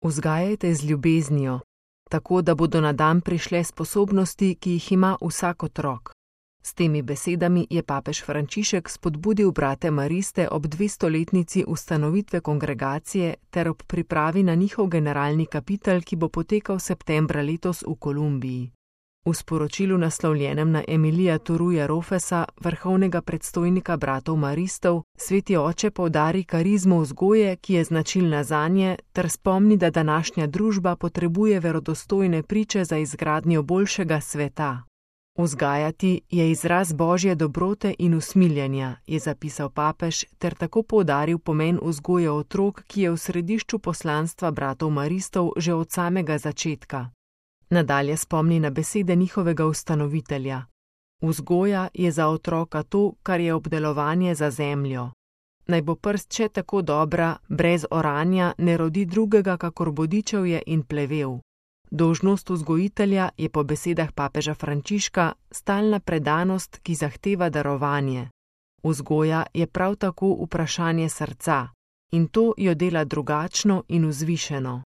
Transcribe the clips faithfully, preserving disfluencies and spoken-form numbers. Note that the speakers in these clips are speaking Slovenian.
Vzgajajte z ljubeznijo, tako da bodo na dan prišle sposobnosti, ki jih ima vsak otrok. S temi besedami je papež Frančišek spodbudil brate mariste ob dvestoletnici ustanovitve kongregacije ter ob pripravi na njihov generalni kapitel, ki bo potekal septembra letos v Kolumbiji. V sporočilu naslovljenem na Emilija Turuja Rofesa, vrhovnega predstojnika bratov maristov, sveti oče poudari karizmo vzgoje, ki je značilna zanje, ter spomni, da današnja družba potrebuje verodostojne priče za izgradnjo boljšega sveta. Vzgajati je izraz božje dobrote in usmiljenja, je zapisal papež, ter tako poudaril pomen vzgoje otrok, ki je v središču poslanstva bratov maristov že od samega začetka. Nadalje spomni na besede njihovega ustanovitelja. Vzgoja je za otroka to, kar je obdelovanje za zemljo. Naj bo prst še tako dobra, brez oranja ne rodi drugega, kakor bodičevje in plevel. Dolžnost vzgojitelja je po besedah papeža Frančiška stalna predanost, ki zahteva darovanje. Vzgoja je prav tako vprašanje srca in to jo dela drugačno in vzvišeno.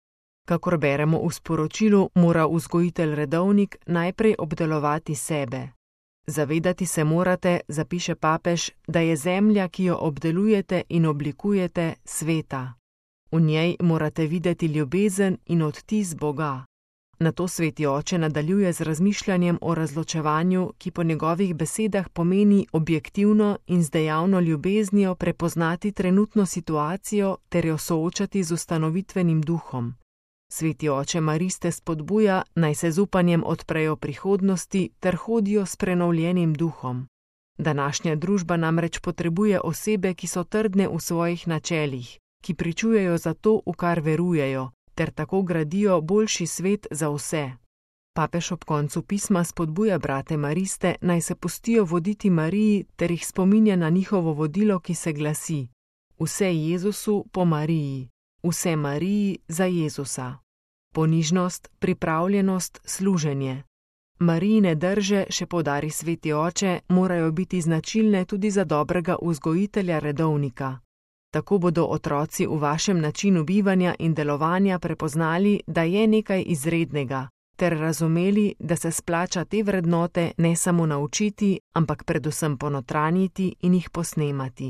Kakor beremo v sporočilu, mora vzgojitelj redovnik najprej obdelovati sebe. Zavedati se morate, zapiše papež, da je zemlja, ki jo obdelujete in oblikujete, sveta. V njej morate videti ljubezen in odtis Boga. Nato sveti oče nadaljuje z razmišljanjem o razločevanju, ki po njegovih besedah pomeni objektivno in z dejavno ljubeznijo prepoznati trenutno situacijo ter jo soočati z ustanovitvenim duhom. Sveti oče mariste spodbuja, naj se z upanjem odprejo prihodnosti ter hodijo s prenovljenim duhom. Današnja družba namreč potrebuje osebe, ki so trdne v svojih načelih, ki pričujejo za to, v kar verujejo, ter tako gradijo boljši svet za vse. Papež ob koncu pisma spodbuja brate mariste, naj se pustijo voditi Mariji ter jih spominja na njihovo vodilo, ki se glasi: Vse Jezusu po Mariji, vse Mariji za Jezusa. Ponižnost, pripravljenost, služenje. Marijine drže, še poudari sveti oče, morajo biti značilne tudi za dobrega vzgojitelja redovnika. Tako bodo otroci v vašem načinu bivanja in delovanja prepoznali, da je nekaj izrednega, ter razumeli, da se splača te vrednote ne samo naučiti, ampak predvsem ponotranjiti in jih posnemati.